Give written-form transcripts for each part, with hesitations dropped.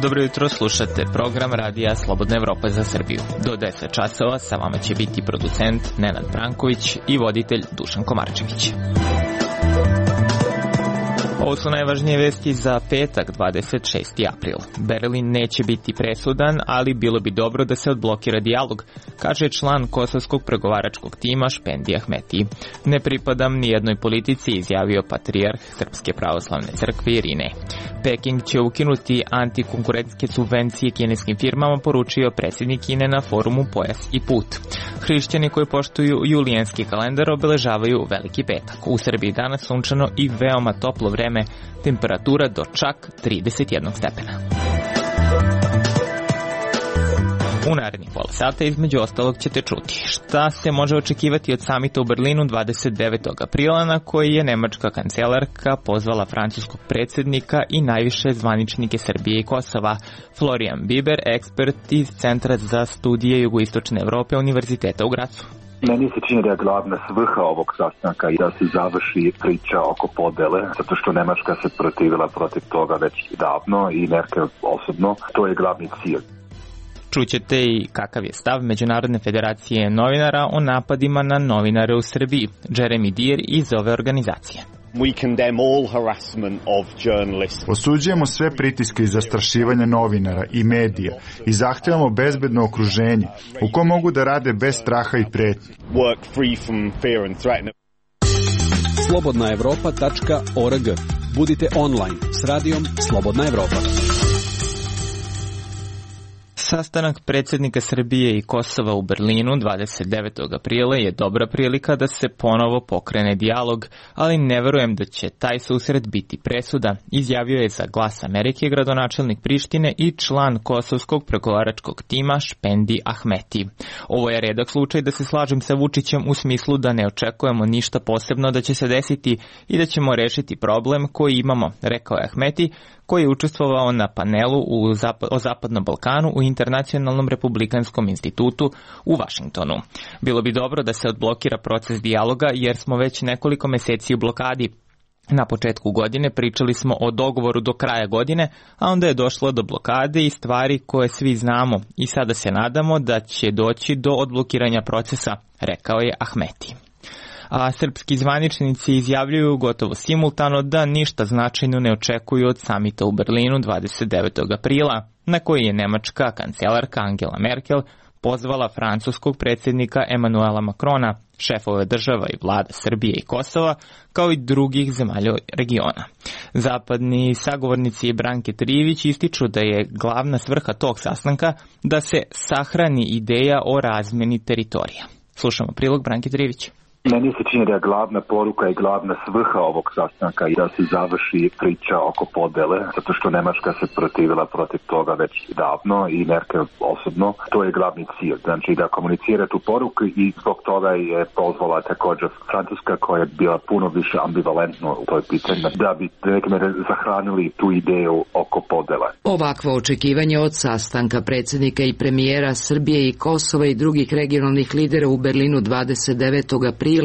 Dobro jutro, slušate program Radija Slobodna Evropa za Srbiju. Do 10 časova sa vama će biti producent Nenad Branković i voditelj Dušan Komarčević. Ovo su najvažnije vesti za petak, 26. april. Berlin neće biti presudan, ali bilo bi dobro da se odblokira dijalog, kaže član kosovskog pregovaračkog tima Špendi Ahmeti. Ne pripadam ni jednoj politici, izjavio patrijarh Srpske pravoslavne crkve Irine. Peking će ukinuti antikonkurentske subvencije kineskim firmama, poručio predsjednik Kine na forumu Pojas i put. Hrišćani koji poštuju julijanski kalendar obeležavaju Veliki petak. U Srbiji danas sunčano i veoma toplo vreme, temperatura do čak 31 stepena. U narednih pola sata između ostalog ćete čuti šta se može očekivati od samita u Berlinu 29. aprila na koji je nemačka kancelarka pozvala francuskog predsjednika i najviše zvaničnike Srbije i Kosova. Florian Biber, ekspert iz Centra za studije jugoistočne Evrope Univerziteta u Gracu. Meni se čini da je glavna svrha ovog sastanka i da se završi priča oko podele, zato što Nemačka se protivila protiv toga već davno i Merkel osobno. To je glavni cilj. Čućete i kakav je stav Međunarodne federacije novinara o napadima na novinare u Srbiji. Jeremy Dear iz ove organizacije. Osuđujemo sve pritiske i zastrašivanje novinara i medija i zahtevamo bezbedno okruženje u kom mogu da rade bez straha i pretnji. slobodnaevropa.org. Budite online s radijom Slobodna Evropa. Sastanak predsjednika Srbije i Kosova u Berlinu 29. aprila je dobra prilika da se ponovo pokrene dijalog, ali ne verujem da će taj susret biti presudan, izjavio je za Glas Amerike gradonačelnik Prištine i član kosovskog pregovaračkog tima Špendi Ahmeti. Ovo je redak slučaj da se slažem sa Vučićem u smislu da ne očekujemo ništa posebno da će se desiti i da ćemo rešiti problem koji imamo, rekao je Ahmeti, koji je učestvovao na panelu o Zapadnom Balkanu u Internacionalnom republikanskom institutu u Vašingtonu. Bilo bi dobro da se odblokira proces dijaloga jer smo već nekoliko meseci u blokadi. Na početku godine pričali smo o dogovoru do kraja godine, a onda je došlo do blokade i stvari koje svi znamo i sada se nadamo da će doći do odblokiranja procesa, rekao je Ahmeti. A srpski zvaničnici izjavljuju gotovo simultano da ništa značajno ne očekuju od samita u Berlinu 29. aprila, na koji je nemačka kancelarka Angela Merkel pozvala francuskog predsjednika Emanuela Macrona, šefove država i vlada Srbije i Kosova, kao i drugih zemalja regiona. Zapadni sagovornici Branke Trijević ističu da je glavna svrha tog sastanka da se sahrani ideja o razmjeni teritorija. Slušamo prilog Branke Trijević. Meni se čini da je glavna poruka i glavna svrha ovog sastanka i da se završi priča oko podele, zato što Nemačka se protivila protiv toga već davno i Merkel osobno. To je glavni cilj, znači da komunicira tu poruku i zbog toga je pozvala također Francuska koja je bila puno više ambivalentno u toj pitanju, da bi nekome zahranili tu ideju oko podele. Ovakvo očekivanje od sastanka predsjednika i premijera Srbije i Kosova i drugih regionalnih lidera u Berlinu 29. aprila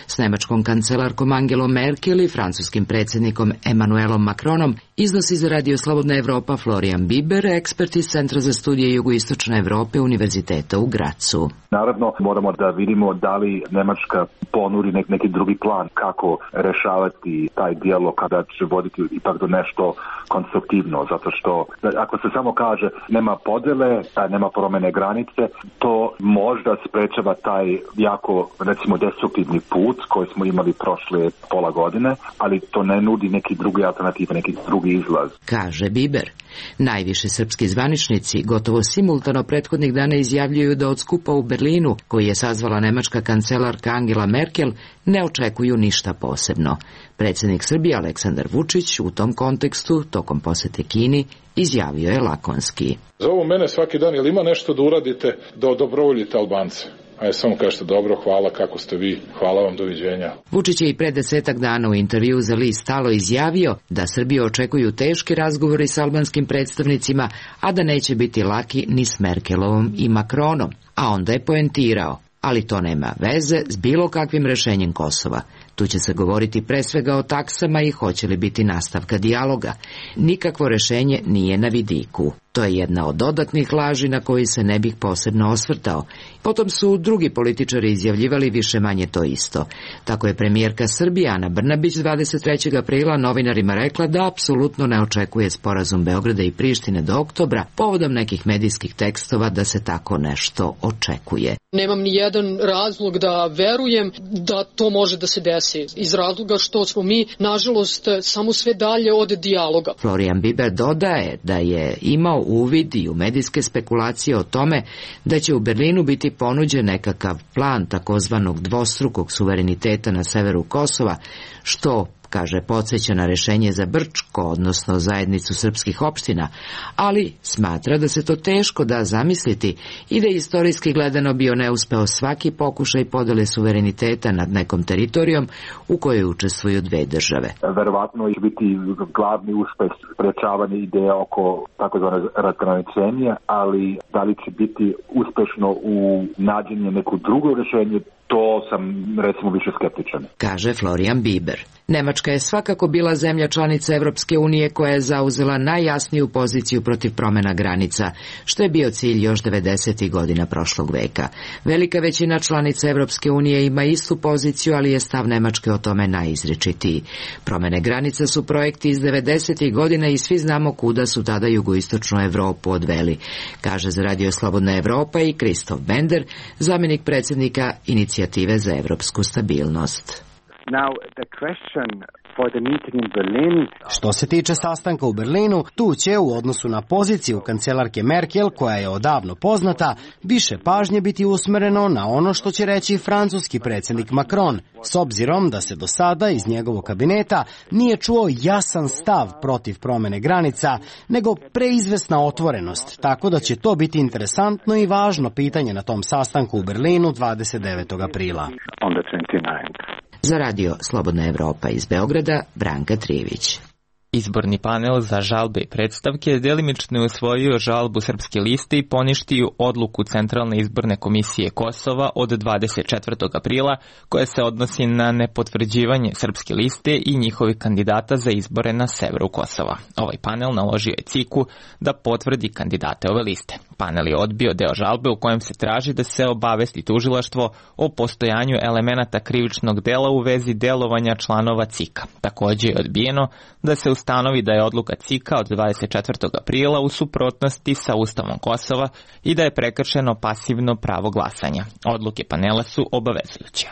s nemačkom kancelarkom Angelom Merkel i francuskim predsjednikom Emanuelom Macronom iznosi za Radio Slobodna Evropa Florian Biber, ekspert iz Centra za studije jugoistočne Evrope Univerziteta u Gracu. Naravno, moramo da vidimo da li Nemačka ponudi neki drugi plan kako rešavati taj dijalog kada će voditi ipak do nešto konstruktivno, zato što ako se samo kaže nema podele, nema promjene granice, to možda sprečava taj jako, recimo, destruktivni put koji smo imali prošle pola godine, ali to ne nudi neki drugi alternativ, neki drugi izlaz. Kaže Biber. Najviše srpski zvaničnici gotovo simultano prethodnih dana izjavljuju da od skupa u Berlinu, koji je sazvala nemačka kancelarka Angela Merkel, ne očekuju ništa posebno. Predsjednik Srbije Aleksandar Vučić u tom kontekstu, tokom posete Kini, izjavio je lakonski. Zovu mene svaki dan, jel ima nešto da uradite da odobrovoljite Albance? Ajde, samo kažete dobro, hvala, kako ste vi, hvala vam, doviđenja. Vučić je i pre 10 dana u intervju za list Stalo izjavio da Srbiju očekuju teški razgovori s albanskim predstavnicima, a da neće biti laki ni s Merkelovom i Macronom. A onda je poentirao. Ali to nema veze s bilo kakvim rešenjem Kosova. Tu će se govoriti pre svega o taksama i hoće li biti nastavka dijaloga. Nikakvo rešenje nije na vidiku. To je jedna od dodatnih laži na koji se ne bih posebno osvrtao. Potom su drugi političari izjavljivali više manje to isto. Tako je premijerka Srbije Ana Brnabić 23. aprila novinarima rekla da apsolutno ne očekuje sporazum Beograda i Prištine do oktobra, povodom nekih medijskih tekstova da se tako nešto očekuje. Nemam ni jedan razlog da verujem da to može da se desi, iz razloga što smo mi, nažalost, samo sve dalje od dijaloga. Florian Biber dodaje da je imao uvid i u medijske spekulacije o tome da će u Berlinu biti ponuđen nekakav plan takozvanog dvostrukog suvereniteta na severu Kosova, što, kaže, podsjeća na rešenje za Brčko, odnosno zajednicu srpskih opština, ali smatra da se to teško da zamisliti i da je istorijski gledano bio neuspeo svaki pokušaj podele suvereniteta nad nekom teritorijom u kojoj učestvuju dve države. Verovatno će biti glavni uspeh sprečavanje ideja oko takozvane razgraničenja, ali da li će biti uspešno u nađenju neko drugo rešenje, to sam, recimo, više skeptičan. Kaže Florian Biber. Nemačka je svakako bila zemlja članica Evropske unije koja je zauzela najjasniju poziciju protiv promjena granica, što je bio cilj još 90. godina prošlog veka. Velika većina članica Evropske unije ima istu poziciju, ali je stav Nemačke o tome najizričitiji. Promjene granica su projekti iz 90. godina i svi znamo kuda su tada jugoistočnu Evropu odveli, kaže za Radio Slobodna Evropa i Kristof Bender, zamjenik predsjednika Inicijative za evropsku stabilnost. Što se tiče sastanka u Berlinu, tu će u odnosu na poziciju kancelarke Merkel, koja je odavno poznata, više pažnje biti usmereno na ono što će reći francuski predsjednik Macron, s obzirom da se do sada iz njegovog kabineta nije čuo jasan stav protiv promjene granica, nego preizvesna otvorenost, tako da će to biti interesantno i važno pitanje na tom sastanku u Berlinu 29. aprila. Za Radio Slobodna Evropa iz Beograda, Branka Trijević. Izborni panel za žalbe i predstavke delimično je usvojio žalbu Srpske liste i poništio odluku Centralne izborne komisije Kosova od 24. aprila koja se odnosi na nepotvrđivanje Srpske liste i njihovih kandidata za izbore na severu Kosova. Ovaj panel naložio je CIK-u da potvrdi kandidate ove liste. Panel je odbio deo žalbe u kojem se traži da se obavesti tužilaštvo o postojanju elemenata krivičnog dela u vezi delovanja članova CIK-a. Također je odbijeno da se ustanovi da je odluka CIK-a od 24. aprila u suprotnosti sa Ustavom Kosova i da je prekršeno pasivno pravo glasanja. Odluke panela su obavezujuće.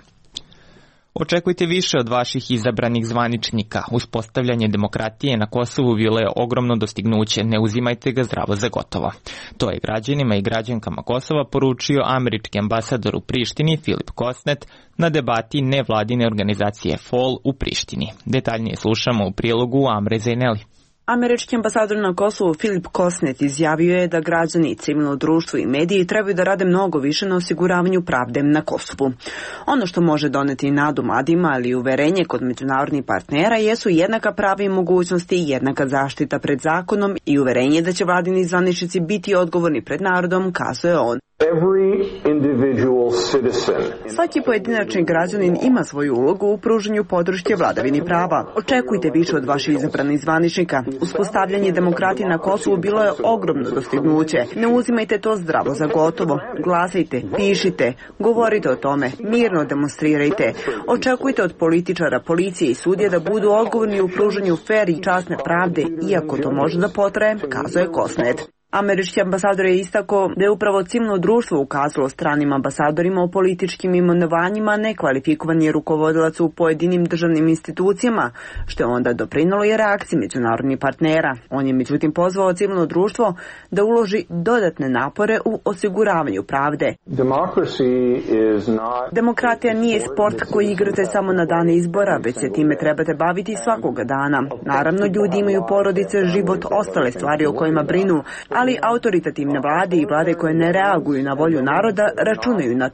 Očekujte više od vaših izabranih zvaničnika. Uspostavljanje demokratije na Kosovu bilo je ogromno dostignuće, ne uzimajte ga zdravo za gotovo. To je građanima i građankama Kosova poručio američki ambasador u Prištini Filip Kosnet na debati nevladine organizacije FOL u Prištini. Detaljnije slušamo u prilogu Amre Zejneli. Američki ambasador na Kosovu Filip Kosnet izjavio je da građani, civilno društvo i mediji trebaju da rade mnogo više na osiguravanju pravde na Kosovu. Ono što može doneti nadu mladima, ali i uverenje kod međunarodnih partnera jesu jednaka prava i mogućnosti, jednaka zaštita pred zakonom i uverenje da će vladini zvaničnici biti odgovorni pred narodom, kazuje on. Svaki pojedinačni građanin ima svoju ulogu u pružanju podrške vladavini prava. Očekujte više od vaših izabranih zvaničnika. Uspostavljanje demokratije na Kosovu bilo je ogromno dostignuće. Ne uzimajte to zdravo za gotovo. Glasajte, pišite, govorite o tome, mirno demonstrirajte. Očekujte od političara, policije i sudije da budu odgovorni u pružanju fer i časne pravde, iako to može da potraje, kazuje Kosnet. Američki ambasador je istakao da je upravo civilno društvo ukazalo stranim ambasadorima o političkim imenovanjima nekvalifikovanje rukovodilaca u pojedinim državnim institucijama, što je onda doprinalo i reakciji međunarodnih partnera. On je međutim pozvao civilno društvo da uloži dodatne napore u osiguravanju pravde. Demokratija nije sport koji igrate samo na dane izbora, već se time trebate baviti svakoga dana. Naravno, ljudi imaju porodice, život, ostale stvari o kojima brinu, ali autoritativne vlade i vlade koje ne reaguju na volju naroda računaju na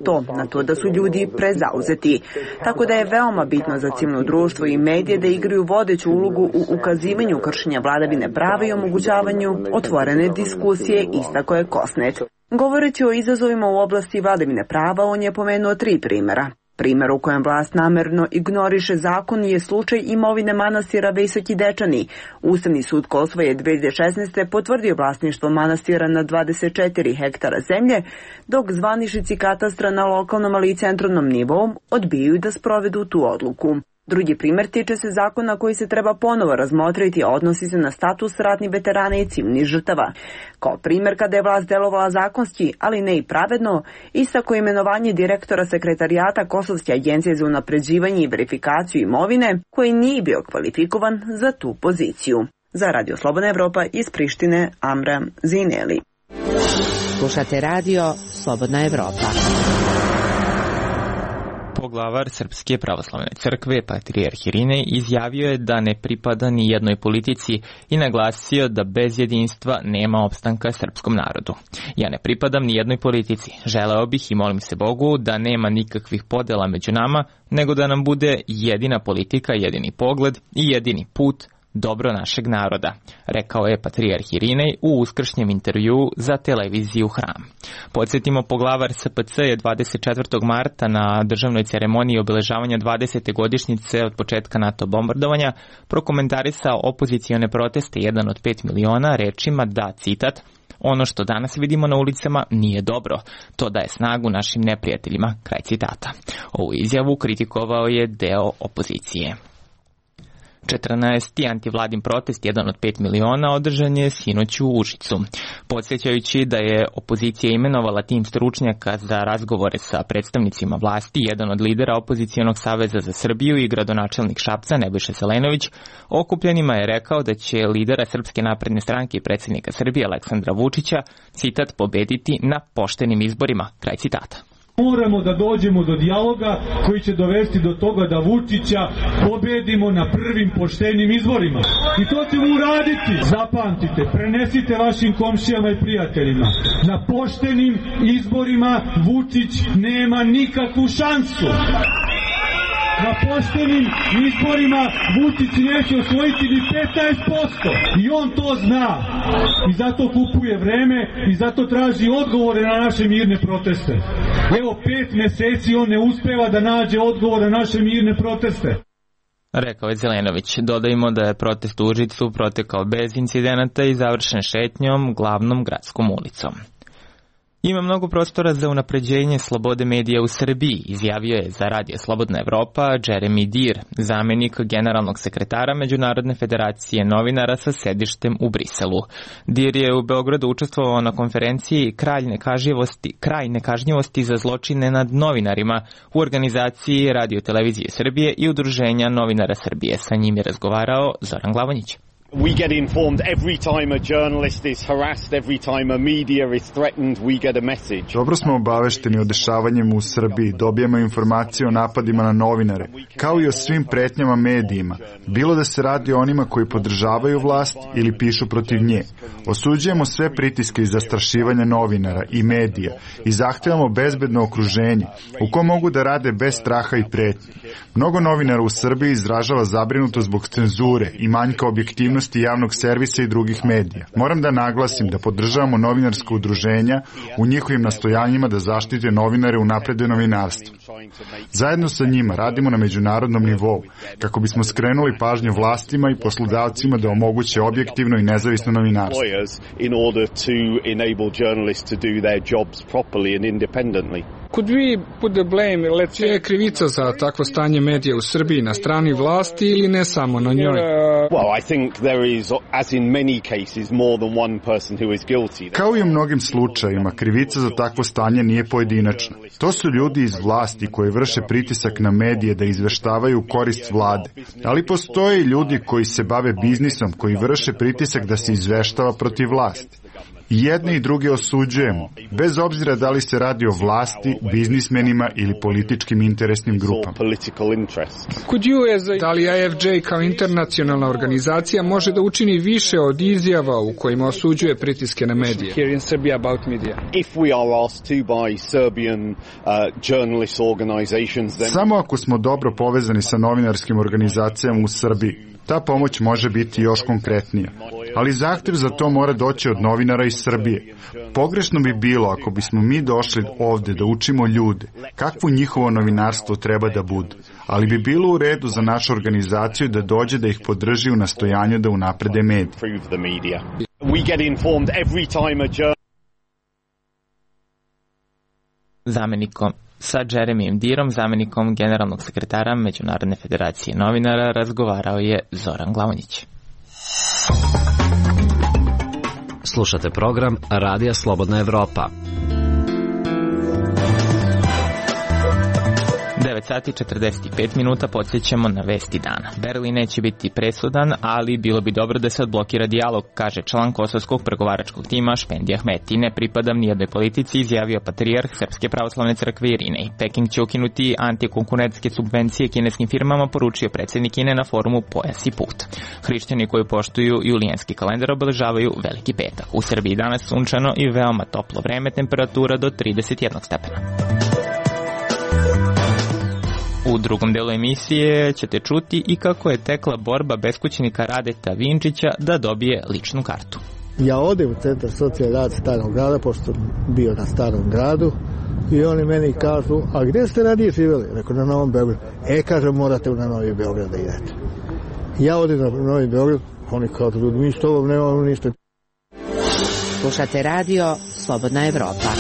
to da su ljudi prezauzeti. Tako da je veoma bitno za civilno društvo i medije da igraju vodeću ulogu u ukazivanju kršenja vladavine prava i omogućavanju otvorene diskusije, istakao je Kosnet. Govoreći o izazovima u oblasti vladavine prava, on je pomenuo 3 primjera. Primjer u kojem vlast namerno ignoriše zakon je slučaj imovine manastira Visoki Dečani. Ustavni sud Kosova je 2016. potvrdio vlasništvo manastira na 24 hektara zemlje, dok zvaničnici katastra na lokalnom ali i centralnom nivou odbijaju da sprovedu tu odluku. Drugi primjer tiče se zakona koji se treba ponovo razmotriti, a odnosi se na status ratnih veterana i civilnih žrtava. Kao primjer kada je vlast delovala zakonski, ali ne i pravedno, istako imenovanje direktora sekretarijata Kosovske agencije za unapređivanje i verifikaciju imovine, koji nije bio kvalifikovan za tu poziciju. Za Radio Slobodna Evropa iz Prištine, Amra Zineli. Slušate radio Slobodna Evropa. Poglavar Srpske pravoslavne crkve, patrijarh Irinej, izjavio je da ne pripada ni jednoj politici i naglasio da bez jedinstva nema opstanka srpskom narodu. Ja ne pripadam ni jednoj politici. Želeo bih i molim se Bogu da nema nikakvih podela među nama, nego da nam bude jedina politika, jedini pogled i jedini put, dobro našeg naroda, rekao je patrijarh Irinej u uskršnjem intervjuu za televiziju Hram. Podsjetimo, poglavar SPC je 24. marta na državnoj ceremoniji obeležavanja 20. godišnjice od početka NATO bombardovanja prokomentarisao opozicione proteste 1 od 5 miliona rečima da, citat, ono što danas vidimo na ulicama nije dobro, to daje snagu našim neprijateljima, kraj citata. Ovu izjavu kritikovao je deo opozicije. 14. antivladin protest 1 od 5 miliona održan je sinoć u Užicu. Podsjećajući da je opozicija imenovala tim stručnjaka za razgovore sa predstavnicima vlasti, jedan od lidera opozicijonog saveza za Srbiju i gradonačelnik Šapca, Nebojša Zelenović, okupljenima je rekao da će lidera Srpske napredne stranke i predsjednika Srbije Aleksandra Vučića, citat, pobediti na poštenim izborima, kraj citata. Moramo da dođemo do dijaloga koji će dovesti do toga da Vučića pobedimo na prvim poštenim izborima. I to ćemo uraditi. Zapamtite, prenesite vašim komšijama i prijateljima. Na poštenim izborima Vučić nema nikakvu šansu. Na poštenim izborima Vučić neće osvojiti ni 15%. I on to zna. I zato kupuje vreme i zato traži odgovore na naše mirne proteste. Evo 5 meseci on ne uspeva da nađe odgovor na naše mirne proteste. Rekao je Zelenović. Dodajmo da je protest u Užicu protekao bez incidenata i završen šetnjom glavnom gradskom ulicom. Ima mnogo prostora za unapređenje slobode medija u Srbiji, izjavio je za Radio Slobodna Evropa Jeremy Dir, zamenik generalnog sekretara Međunarodne federacije novinara sa sedištem u Briselu. Dir je u Beogradu učestvovao na konferenciji Kraj nekažnjivosti za zločine nad novinarima u organizaciji Radio Televizije Srbije i Udruženja novinara Srbije. Sa njim je razgovarao Zoran Glavonjić. We get informed every time a journalist is harassed, every time a media is threatened, we get a message. Dobro smo obavešteni o dešavanjima u Srbiji, dobijemo informacije o napadima na novinare, kao i o svim pretnjama medijima, bilo da se radi o onima koji podržavaju vlast ili pišu protiv nje. Osuđujemo sve pritiske i zastrašivanja novinara i medija i zahtevamo bezbedno okruženje u kom mogu da rade bez straha i pretnji. Mnogo novinara u Srbiji izražava zabrinutost zbog cenzure i manjka objektivnosti javnog servisa i drugih medija. Moram da naglasim da podržavamo novinarska udruženja u njihovim nastojanjima da zaštite novinare u napredu novinarstva. Zajedno sa njima radimo na međunarodnom nivou kako bismo skrenuli pažnju vlastima i poslodavcima da omoguće objektivno i nezavisno novinarstvo. Čija je krivica za takvo stanje medija u Srbiji, na strani vlasti ili ne samo na njoj? Kao i u mnogim slučajevima, krivica za takvo stanje nije pojedinačna. To su ljudi iz vlasti koji vrše pritisak na medije da izveštavaju u korist vlade. Ali postoje i ljudi koji se bave biznisom, koji vrše pritisak da se izveštava protiv vlasti. I jedne i druge osuđujemo, bez obzira da li se radi o vlasti, biznismenima ili političkim interesnim grupama. Da li AFJ kao internacionalna organizacija može da učini više od izjava u kojima osuđuje pritiske na medije? Samo ako smo dobro povezani sa novinarskim organizacijama u Srbiji, ta pomoć može biti još konkretnija. ali zahtev za to mora doći od novinara iz Srbije. Pogrešno bi bilo ako bismo mi došli ovde da učimo ljude kakvo njihovo novinarstvo treba da bude, ali bi bilo u redu za našu organizaciju da dođe da ih podrži u nastojanju da unaprede medije. Zamenikom sa Jeremyjem Dirom, zamenikom generalnog sekretara Međunarodne federacije novinara, razgovarao je Zoran Glavonjić. Slušate program Radija Slobodna Evropa. 9 sati 45 minuta, podsjećamo na vesti dana. Berlin neće biti presudan, ali bilo bi dobro da se odblokira dijalog, kaže član kosovskog pregovaračkog tima Špendi Ahmeti. Ne pripadam nijednoj politici, izjavio patrijarh Srpske pravoslavne crkve Irinej. Peking će ukinuti antikonkurentske subvencije kineskim firmama, poručio predsjednik Kine na forumu Pojas i put. Hrišćani koji poštuju julijanski kalendar obeležavaju Veliki petak. U Srbiji danas sunčano i veoma toplo vreme, temperatura do 31 stepena. U drugom delu emisije ćete čuti i kako je tekla borba beskućnika Radeta Vinčića da dobije ličnu kartu. Ja odem u centar socijalne rad Starog grada, pošto sam bio na Starom gradu, i oni meni kažu, a gdje ste ranije živjeli? Rekao, na Novom Beogradu. Kažem, morate na Novi Beograd da idete. Ja odem na Novi Beograd, oni kažu, ljudi, mi s tobom nemamo ništa. Slušate radio Slobodna Evropa.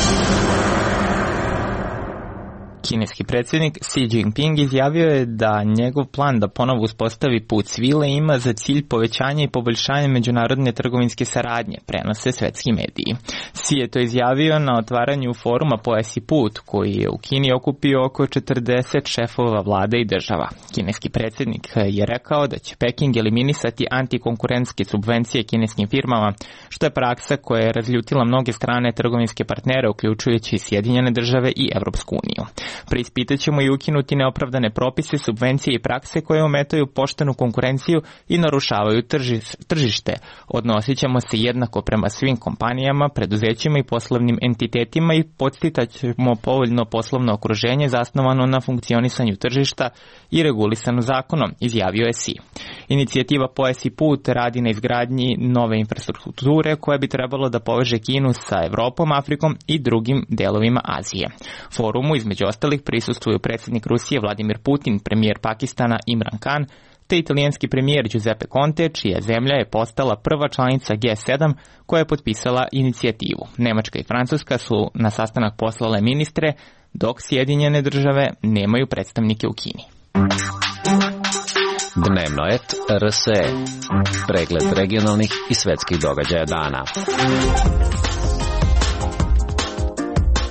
Kineski predsjednik Xi Jinping izjavio je da njegov plan da ponovo uspostavi put svile ima za cilj povećanje i poboljšanje međunarodne trgovinske saradnje, prenose svetski mediji. Xi je to izjavio na otvaranju foruma Pojas i put, koji je u Kini okupio oko 40 šefova vlada i država. Kineski predsjednik je rekao da će Peking eliminisati antikonkurentske subvencije kineskim firmama, što je praksa koja je razljutila mnoge strane trgovinske partnere, uključujući Sjedinjene države i Evropsku uniju. Preispitat ćemo i ukinuti neopravdane propise, subvencije i prakse koje ometaju poštenu konkurenciju i narušavaju tržište. Odnosit ćemo se jednako prema svim kompanijama, preduzećima i poslovnim entitetima i podsticat ćemo povoljno poslovno okruženje zasnovano na funkcionisanju tržišta i regulisano zakonom, izjavio je Xi. Inicijativa Pojas i put radi na izgradnji nove infrastrukture koja bi trebalo da poveže Kinu sa Evropom, Afrikom i drugim delovima Azije. Forumu između ostalih prisustvuju predsjednik Rusije Vladimir Putin, premijer Pakistana Imran Khan, te italijanski premijer Giuseppe Conte, čija zemlja je postala prva članica G7 koja je potpisala inicijativu. Nemačka i Francuska su na sastanak poslale ministre, dok Sjedinjene države nemaju predstavnike u Kini. Dnevno et RSE. Pregled regionalnih i svetskih događaja dana.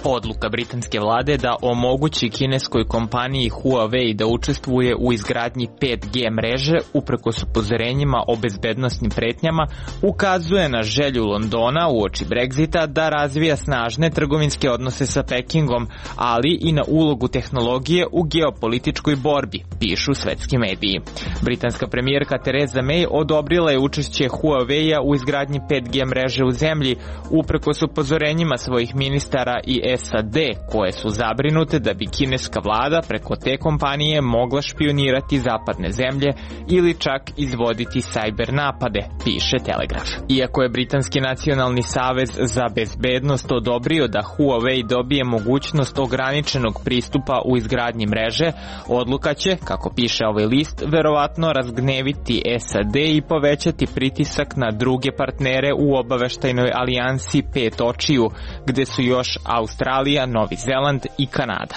Odluka britanske vlade da omogući kineskoj kompaniji Huawei da učestvuje u izgradnji 5G mreže uprkos upozorenjima o bezbednosnim pretnjama ukazuje na želju Londona uoči Brexita da razvija snažne trgovinske odnose sa Pekingom, ali i na ulogu tehnologije u geopolitičkoj borbi, pišu svetski mediji. Britanska premijerka Theresa May odobrila je učešće Huawei-a u izgradnji 5G mreže u zemlji uprkos upozorenjima svojih ministara i SAD, koje su zabrinute da bi kineska vlada preko te kompanije mogla špionirati zapadne zemlje ili čak izvoditi sajber napade, piše Telegraf. Iako je Britanski nacionalni savez za bezbednost odobrio da Huawei dobije mogućnost ograničenog pristupa u izgradnji mreže, odluka će, kako piše ovaj list, verovatno razgneviti SAD i povećati pritisak na druge partnere u obaveštajnoj alijansi Pet očiju, gde su još Australija, Novi Zeland i Kanada.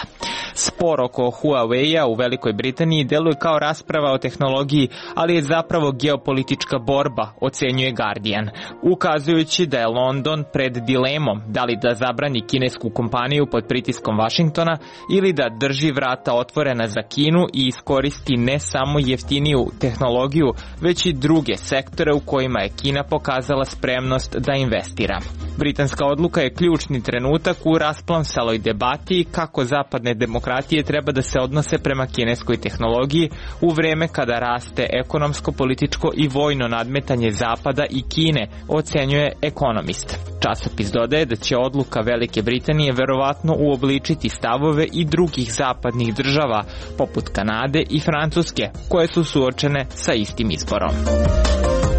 Spor oko Huawei-a u Velikoj Britaniji deluje kao rasprava o tehnologiji, ali je zapravo geopolitička borba, ocenjuje Guardian, ukazujući da je London pred dilemom da li da zabrani kinesku kompaniju pod pritiskom Vašingtona ili da drži vrata otvorena za Kinu i iskoristi ne samo jeftiniju tehnologiju, već i druge sektore u kojima je Kina pokazala spremnost da investira. Britanska odluka je ključni trenutak u rasplamsaloj debati kako zapadne demokratije treba da se odnose prema kineskoj tehnologiji u vreme kada raste ekonomsko, političko i vojno nadmetanje Zapada i Kine, ocenjuje Economist. Časopis dodaje da će odluka Velike Britanije verovatno uobličiti stavove i drugih zapadnih država, poput Kanade i Francuske, koje su suočene sa istim izborom.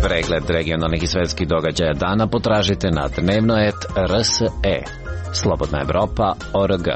Pregled regionalnih i svetskih događaja dana potražite na dnevno.rse. Slobodna Evropa.org.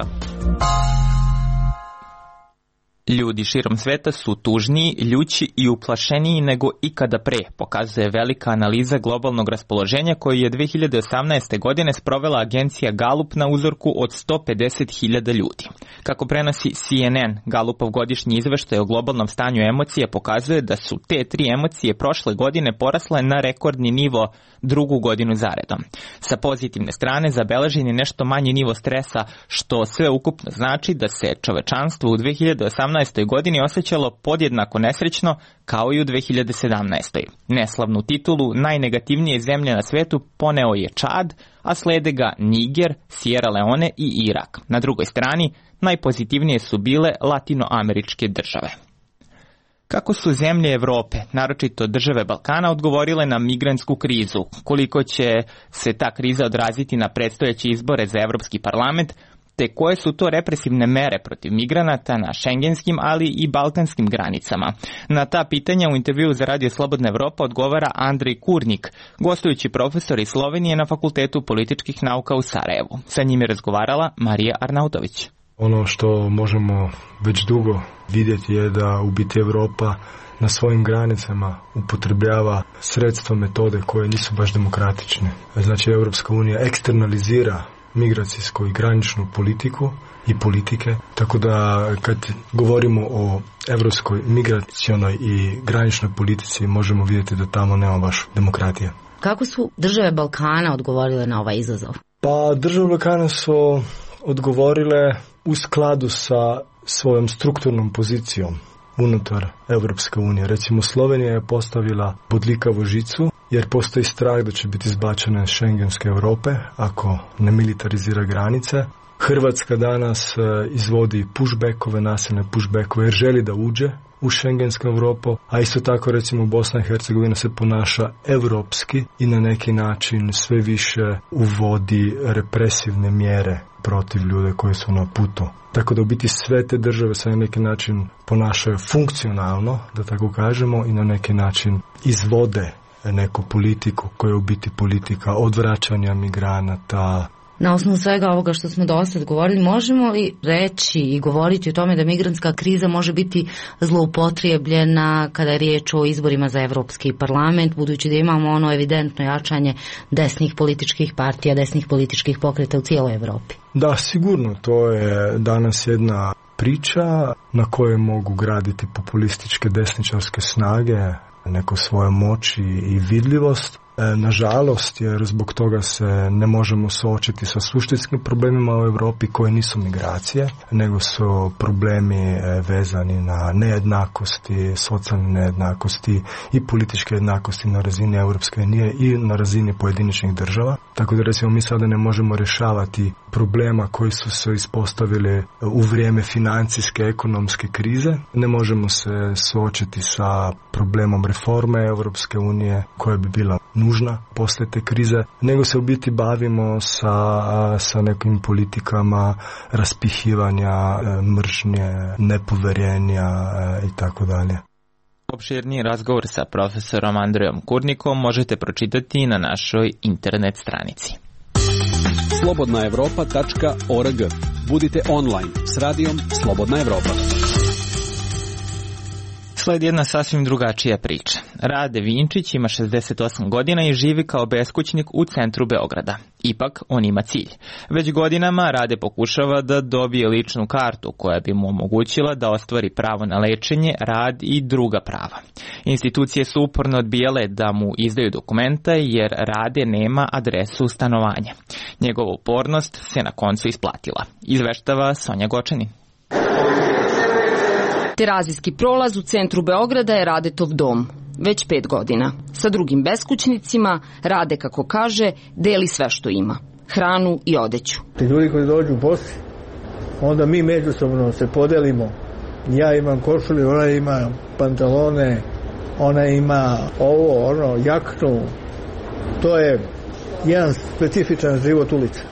Ljudi širom sveta su tužniji, ljući i uplašeniji nego ikada pre, pokazuje velika analiza globalnog raspoloženja koju je 2018. godine sprovela agencija Gallup na uzorku od 150.000 ljudi. Kako prenosi CNN, Gallupov godišnji izveštaj o globalnom stanju emocija pokazuje da su te tri emocije prošle godine porasle na rekordni nivo drugu godinu zaredom. Sa pozitivne strane zabeležen je nešto manji nivo stresa, što sve ukupno znači da se čovečanstvo u 2018. godini osjećalo podjednako nesrećno kao i u 2017. Neslavnu titulu najnegativnije zemlje na svetu poneo je Čad, a slede ga Niger, Sierra Leone i Irak. Na drugoj strani najpozitivnije su bile latinoameričke države. Kako su zemlje Evrope, naročito države Balkana, odgovorile na migrantsku krizu? Koliko će se ta kriza odraziti na predstojeće izbore za Evropski parlament? Te koje su to represivne mere protiv migranata na šengenskim, ali i balkanskim granicama? Na ta pitanja u intervjuu za Radio Slobodna Evropa odgovara Andrej Kurnik, gostujući profesor iz Slovenije na Fakultetu političkih nauka u Sarajevu. Sa njim je razgovarala Marija Arnautović. Ono što možemo već dugo vidjeti je da u biti Evropa na svojim granicama upotrebljava sredstva, metode koje nisu baš demokratične. Znači, Europska unija eksternalizira migracijsku i graničnu politiku i politike, tako da kad govorimo o evropskoj migracionoj i graničnoj politici možemo vidjeti da tamo nema baš demokratije. Kako su države Balkana odgovorile na ovaj izazov? Pa države Balkana su odgovorile u skladu sa svojom strukturnom pozicijom unutar Evropske unije. Recimo, Slovenija je postavila bodljikavu žicu jer postoji strah da će biti izbačene iz šengenske Europe ako ne militarizira granice. Hrvatska danas izvodi pushbackove, nasilne pushbackove jer želi da uđe u šengensku Europu, a isto tako recimo Bosna i Hercegovina se ponaša europski i na neki način sve više uvodi represivne mjere protiv ljude koji su na putu. Tako da u biti sve te države se na neki način ponašaju funkcionalno, da tako kažemo, i na neki način izvode neku politiku koja je u biti politika odvraćanja migranata. Na osnovu svega ovoga što smo do sad govorili, možemo li reći i govoriti o tome da migrantska kriza može biti zloupotrijebljena kada je riječ o izborima za Evropski parlament, budući da imamo ono evidentno jačanje desnih političkih partija, desnih političkih pokreta u cijeloj Evropi? Da, sigurno, to je danas jedna priča na kojoj mogu graditi populističke desničarske snage, neko svoje moći i vidljivost. Nažalost, jer zbog toga se ne možemo suočiti sa suštinskim problemima u Europi koje nisu migracije, nego su problemi vezani na nejednakosti, socijalne nejednakosti i političke jednakosti na razini Europske unije i na razini pojedinačnih država. Tako da recimo mi sada ne možemo rješavati problema koji su se ispostavili u vrijeme financijske, ekonomske krize. Ne možemo se suočiti sa problemom reforme Europske unije koja bi bila nužna poslije te krize, nego se u biti bavimo sa nekim politikama raspihivanja, mržnje, nepoverenja i tako dalje. Opširniji razgovor sa profesorom Andrejom Kurnikom možete pročitati na našoj internet stranici. slobodnaevropa.org. Budite online s radijom Slobodna Evropa. Sledi jedna sasvim drugačija priča. Rade Vinčić ima 68 godina i živi kao beskućnik u centru Beograda. Ipak, on ima cilj. Već godinama Rade pokušava da dobije ličnu kartu koja bi mu omogućila da ostvari pravo na lečenje, rad i druga prava. Institucije su uporno odbijale da mu izdaju dokumenta jer Rade nema adresu stanovanja. Njegova upornost se na koncu isplatila. Izveštava Sonja Gočanin. Terazijski prolaz u centru Beograda je Radetov dom. Već 5 godina. Sa drugim beskućnicima Rade, kako kaže, deli sve što ima. Hranu i odeću. Ti ljudi koji dođu bosi, onda mi međusobno se podelimo. Ja imam košulju, ona ima pantalone, ona ima ovo, ono, jaknu. To je jedan specifičan život ulica.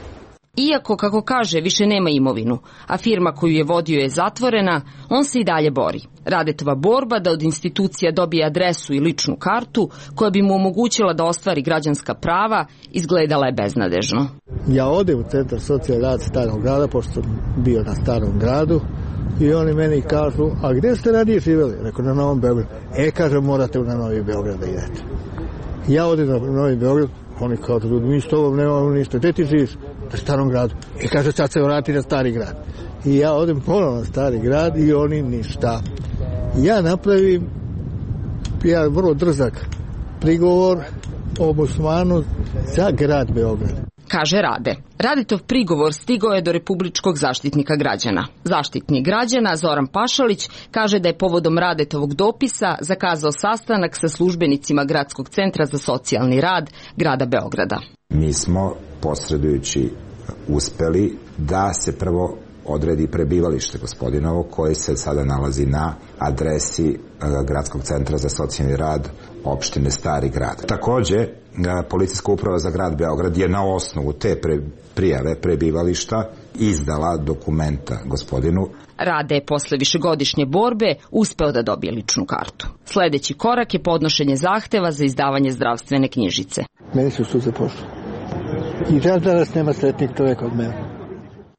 Iako, kako kaže, više nema imovinu, a firma koju je vodio je zatvorena, on se i dalje bori. Radetova borba da od institucija dobije adresu i ličnu kartu koja bi mu omogućila da ostvari građanska prava izgledala je beznadežno. Ja odem u centar socijalni rad Starog grada, pošto sam bio na Starom gradu, i oni meni kažu, a gdje ste ranije živjeli? Rekao, na Novom Beogradu. Kažem, morate na Novi Beograd da idete. Ja odem na Novi Beograd, oni kažu, mi s tobom nemamo ništa, gdje ti živiš? Na Starom gradu. Kaže, sad se vrati na Stari grad. I ja odem ponovno na Stari grad i oni ništa. Ja napravim vrlo drzak prigovor ombudsmanu za grad Beograd. Kaže Rade. Radetov prigovor stigao je do Republičkog zaštitnika građana. Zaštitnik građana Zoran Pašalić kaže da je povodom Radetovog dopisa zakazao sastanak sa službenicima Gradskog centra za socijalni rad grada Beograda. Mi smo, posredujući, uspeli da se prvo odredi prebivalište gospodinovo koje se sada nalazi na adresi Gradskog centra za socijalni rad opštine Stari grad. Takođe, Policijska uprava za grad Beograd je na osnovu te prijave prebivališta izdala dokumenta gospodinu. Rade je posle višegodišnje borbe uspeo da dobije ličnu kartu. Sledeći korak je podnošenje zahteva za izdavanje zdravstvene knjižice. Meni su suze pošle. I danas nema sretnik čovjek od mene.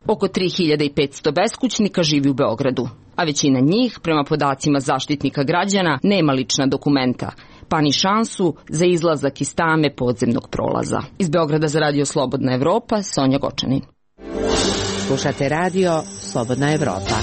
Oko 3500 beskućnika živi u Beogradu, a većina njih, prema podacima zaštitnika građana, nema lična dokumenta, pa ni šansu za izlazak iz tame podzemnog prolaza. Iz Beograda za Radio Slobodna Evropa, Sonja Gočanin. Slušate radio Slobodna Evropa.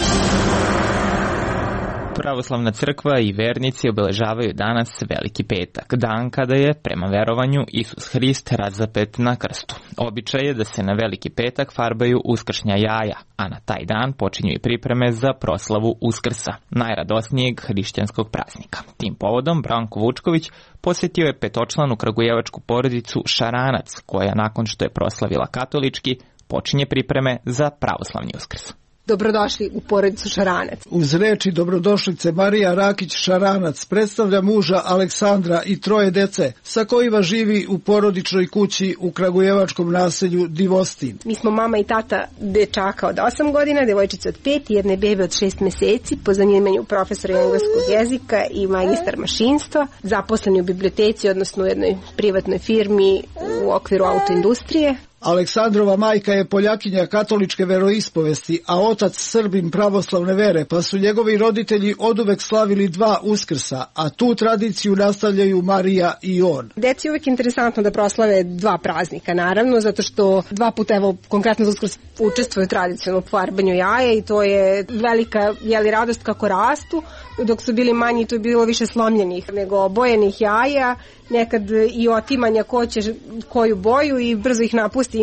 Pravoslavna crkva i vernici obeležavaju danas Veliki petak, dan kada je, prema verovanju, Isus Hrist razapet na krstu. Običaj je da se na Veliki petak farbaju uskršnja jaja, a na taj dan počinju i pripreme za proslavu Uskrsa, najradosnijeg hrišćanskog praznika. Tim povodom Branko Vučković posjetio je petočlanu kragujevačku porodicu Šaranac, koja nakon što je proslavila katolički, počinje pripreme za pravoslavni Uskrs. Dobrodošli u porodicu Šaranac. Uz reči dobrodošlice Marija Rakić Šaranac predstavlja muža Aleksandra i 3 dece sa kojima živi u porodičnoj kući u kragujevačkom naselju Divostin. Mi smo mama i tata dečaka od 8 godina, devojčice od 5 i jedne bebe od 6 meseci, po zanimanju profesora engleskog jezika i magistar mašinstva, zaposleni u biblioteci, odnosno u jednoj privatnoj firmi u okviru autoindustrije. Aleksandrova majka je Poljakinja katoličke veroispovesti, a otac Srbin pravoslavne vere, pa su njegovi roditelji oduvek slavili 2 Uskrsa, a tu tradiciju nastavljaju Marija i on. Deci je uvek interesantno da proslave 2 praznika, naravno, zato što 2 puta, evo, konkretno za Uskrs učestvuju tradicionalno u farbanju jaja i to je velika radost kako rastu. Dok su bili manji, to je bilo više slomljenih nego obojenih jaja, nekad i otimanja ko će koju boju i brzo ih napusti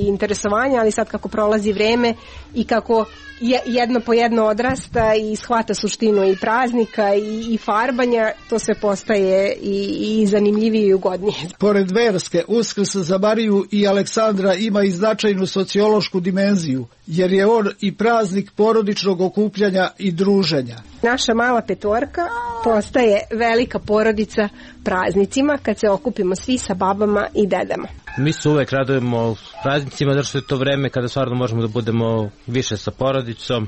interesovanja, ali sad kako prolazi vreme i kako jedno po jedno odrasta i shvata suštinu i praznika i farbanja, to sve postaje i zanimljivije i ugodnije. Pored verske, Uskrs za Mariju i Aleksandra ima i značajnu sociološku dimenziju, jer je on i praznik porodičnog okupljanja i druženja. Naša mala petorka postaje velika porodica praznicima kad se okupimo svi sa babama i dedama. Mi se uvek radujemo praznicima, zato što je to vreme kada stvarno možemo da budemo više sa porodicom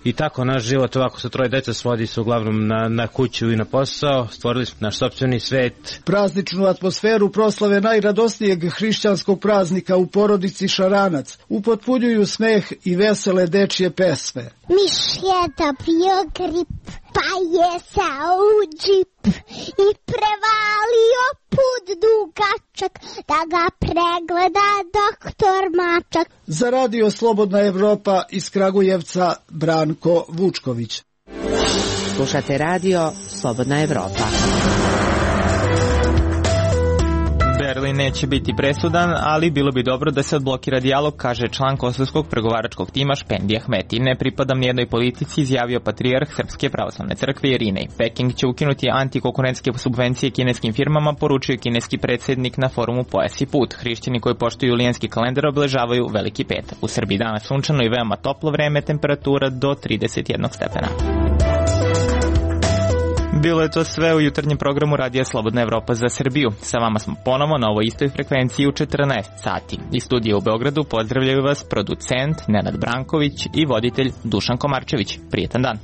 i tako naš život ovako sa 3 dece svodi se uglavnom na kuću i na posao. Stvorili smo naš sopstveni svet. Prazničnu atmosferu proslave najradosnijeg hrišćanskog praznika u porodici Šaranac upotpunjuju smeh i vesele dečje pesme. Miš je dobio grip, pa je sao u džip i prevalio put dugačak da ga pregleda doktor Mačak. Za Radio Slobodna Evropa iz Kragujevca Branko Vučković. Slušate radio Slobodna Evropa. Berlin neće biti presudan, ali bilo bi dobro da se odblokira dijalog, kaže član kosovskog pregovaračkog tima Špendi Ahmeti. Ne pripadam nijednoj politici, izjavio patrijarh Srpske pravoslavne crkve Irinej. Peking će ukinuti antikonkurentske subvencije kineskim firmama, poručio kineski predsjednik na forumu Pojas i put. Hrišćani koji poštuju julijanski kalendar obeležavaju Veliki petak. U Srbiji danas sunčano i veoma toplo vreme, temperatura do 31 stepena. Bilo je to sve u jutarnjem programu Radija Slobodna Evropa za Srbiju. Sa vama smo ponovo na ovoj istoj frekvenciji u 14 sati. Iz studija u Beogradu pozdravljaju vas producent Nenad Branković i voditelj Dušan Komarčević. Prijetan dan.